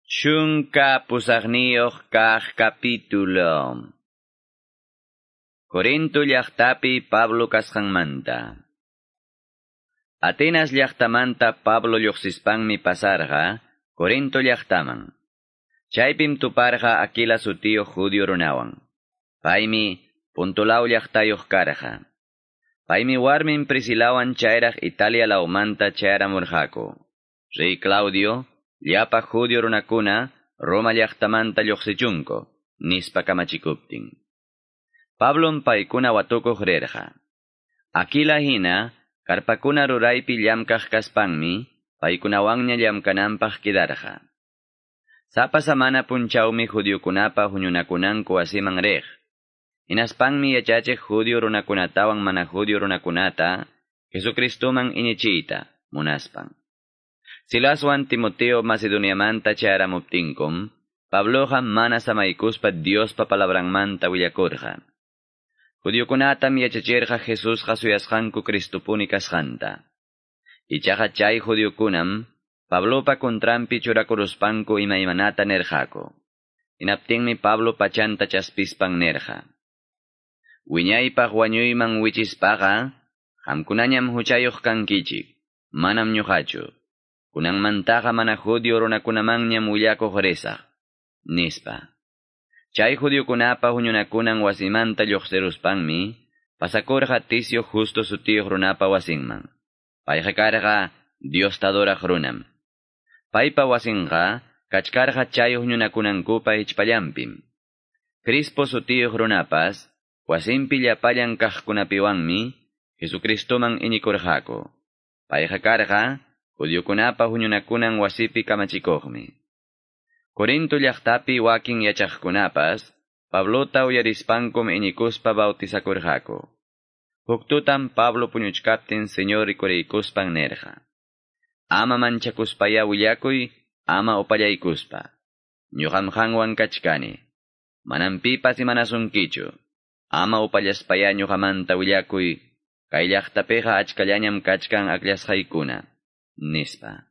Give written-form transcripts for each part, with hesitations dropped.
18 kaq capítulo. Corinto llaqtapi Pablo kasqanmanta. Atenas llaqtamanta Pablo lluqsispanmi pasarqa Corinto llaqtaman. Chaypim tuparqa Aquila sutiyuq judío runawan. Paymi Puntulaw llaqtayuq karqa. Paymi warmin Priscilawan chayraq Italia lawmanta chayramurqaku. Rey Claudio llapa judío runakuna Roma llaqtamanta lluqsichunku, nispa kamachikuptin. Pablom paykuna watukuq rirqa. Aquila hina, karpakuna ruraypi llamkaq kaspanmi, paykunawanña llamkananpaq kidarqa. Sapa samana punchawmi judiokunapa huñunakunanku wasiman riq. Hinaspanmi yachachiq judío runakunatawan mana judío runakunata, Jesucristoman iñichiyta, munaspan. Silaswan Timoteo Macedoniamanta chayaramuptinkum, Pabloqa mana samaykuspa Diospa palabranmanta willakurqa. Judiokunatam yachachirqa Jesusqa suyasqanku Cristopuni kasqanta. Ichaqa chay judiokunam Pablopa contranpi churakuruspanku imaymanata nirqaku. Hinaptinmi Pablo pachanta chaspispan nirqa: Wiñaypaq wañuyman wichispaqa, qamkunañam huchayuq kankichik, manam ñuqachu. Kunanmantaqa mana judío runakunamanñam willakuq risaq, nispa. Chay judiokunapa huñunakunan wasimanta lluqsiruspanmi, pasakurqa Ticio Justo sutiyuq runapa wasinman. Payqa karqa Diosta adoraq runam. Paypa wasinqa kachkarqa chay huñunakunankupa hichpallanpim. Crispo sutiyuq runapas, wasinpi llapallan kaqkunapiwanmi, Jesucristoman iñikurqaku. Payqa karqa judiokunapa huñunakunan wasipi kamachikuqmi. Corinto llaqtapi wakin yachaqkunapas, Pablota uyarispankum iñikuspa bautizakurqaku. Huk tutam Pablo puñuchkaptin Señor rikuriykuspan nirqa: Ama manchakuspaya willakuy, ama upallaykuspa. Ñuqam qanwan kachkani. Manam pipas imanasunkichu. Ama upallaspaya ñuqamanta willakuy, kay llaqtapiqa achkallañam kachkan akllasqaykuna, nispa.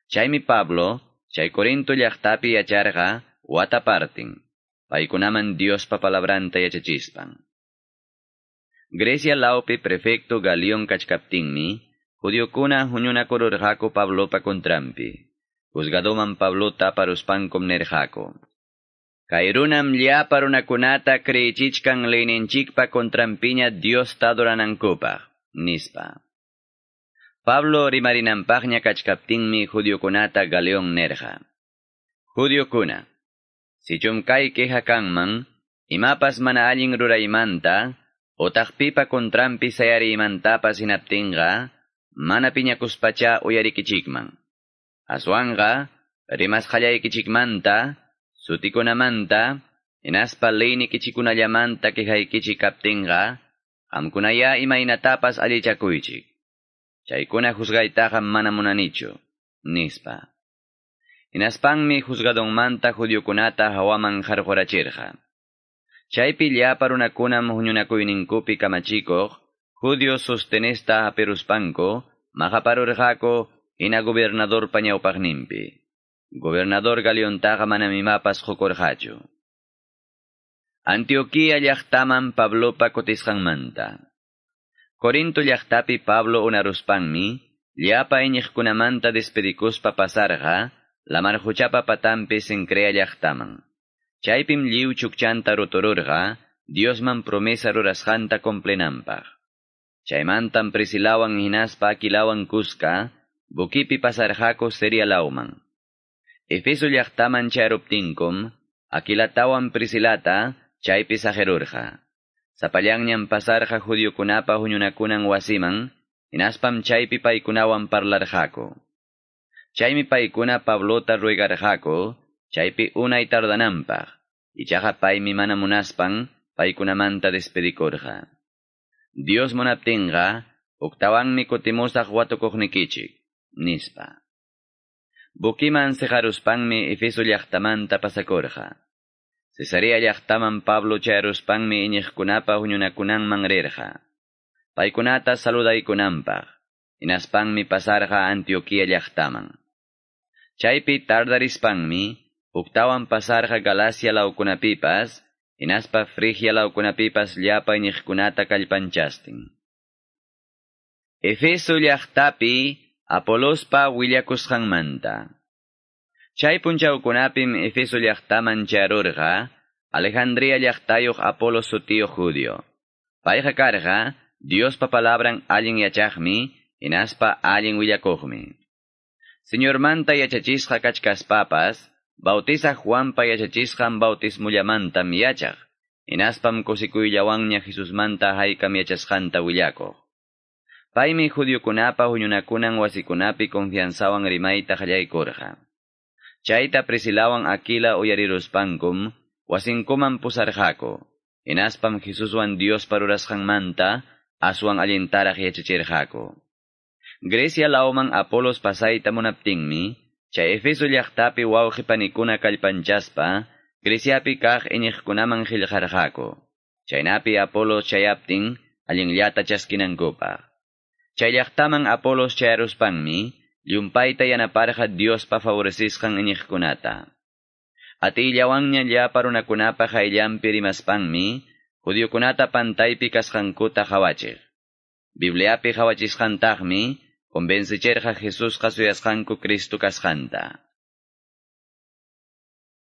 Chaymi Pablo, chay Corinto llaqtapi yacharqa wata partin, paykunaman Diospa palabranta yachachispan. Grecia lawpi prefecto Galión kachkaptinmi, judiokuna huñunakururqaku Pablopa contranpi. Juzgadoman Pablota aparuspankum nirqaku: Kay runam llapa runakunata creyichichkan leyninchikpa contranpiña Diosta adoranankupaq, nispa. Pablo rimarinanpaqña kachkaptinmi judiokunata Galeón nirqa: Judiokuna, sichum kay queja kanman, imapas mana allin ruraymanta, otaq pipa contranpi sayariymantapas hinaptinqa, mana piñakuspacha uyarikichikman. Aswanqa, rimasqallaykichikmanta, sutikunamanta, hinaspa leynikichikunallamanta quejaykichik kaptinqa, qamkunaya imaynatapas allichakuychik. Chaykuna juzgaytaqa mana munanichu, nispa. Hinaspanmi juzgadonmanta judiokunata hawaman qarqurachirqa. Chaypi llapa runakunam huñunakuyninkupi kamachikuq, judío Sostenesta hapiruspanku, maqaparurqaku hina gobernadorpa ñawpaqninpi. Gobernador Galiontaqa manam imapas qukurqachu. Antioquía llaqtaman Pablopa kutisqanmanta. Corinto llaqtapi Pablo unaruspanmi, llapa iñiqkunamanta despedikuspa pasarqa, lamar quchapa patanpi Cencrea llaqtaman. Chaypim lliw chukchanta rutururqa, Diosman promesa rurasqanta cumplinanpaq. Chaymantam Priscilawan hinaspa Aquilawan kuska, buquipi pasarqaku Siria lawman. Efeso llaqtaman chayaruptinkum, Aquilatawan Priscilata chaypi saqirurqa. Sapallanñam pasarqa judiokunapa huñunakunan wasiman, hinaspam chaypi paykunawan parlarqaku. Chaymi paykuna Pablota ruegarqaku, chaypi unay tardananpaq, ichaqa paymi mana munaspan paykunamanta despedikurqa. Dios munaptinqa, huktawanmi kutimusaq watukuqnikichik, nispa. Buquiman siqaruspanmi Efeso llaqtamanta pasakurqa. Cesarea llaqtaman Pablo chayaruspanmi iñiqkunapa huñunakunanman rirqa. Paykunata saludaykunanpaq, hinaspanmi pasarqa Antioquía llaqtaman. Chaypi tardarispanmi Huktawan pasarqa Galacia lawkunapipas, hinaspa Frigia lawkunapipas llapa iñiqkunata kallpanchastin. Efeso llaqtapi Apolospa willakusqanmanta. Chay punchawkunapim Efeso llaqtaman charurqa, Alejandría llaqtayuq Apolos sutiyuq judío. Payqa karqa, Diospa palabran allin yachaqmi, hinaspa allin willakuqmi. Señormanta yachachisqa kachkaspapas, bautizaq Juanpa yachachisqan bautismullamantam yachaq, hinaspam kusikuyllawanña Jesusmanta haykam yachasqanta willakuq. Paymi judiokunapa huñunakunan wasikunapi confianzawan rimayta qallaykurqa. Chayta Priscilawan Aquila uyariruspankum, wasinkuman pusarqaku. Hinaspam Jesuswan Diospa rurasqanmanta aswan allintaraq yachachirqaku. Grecia lawman Apolos pasayta munaptinmi, chay Efeso llaqtapi wawqi panikuna kallpanchaspa, Greciapi kaq iñiqkunaman qillqarqaku. Chaynapi Apolos chayaptin allinllata chaskinankupaq. Chay llaqtaman Apolos chayaruspanmi, llumpayta yanaparqa Diospa favorecisqan iñiqkunata. Atiyllawanña llapa runakunapa qayllanpi rimaspanmi, judiokunata pantaypi kasqankuta qawachiq. Bibliapi qawachisqantaqmi, convencichirqa Jesusqa suyasqanku Cristo kasqanta.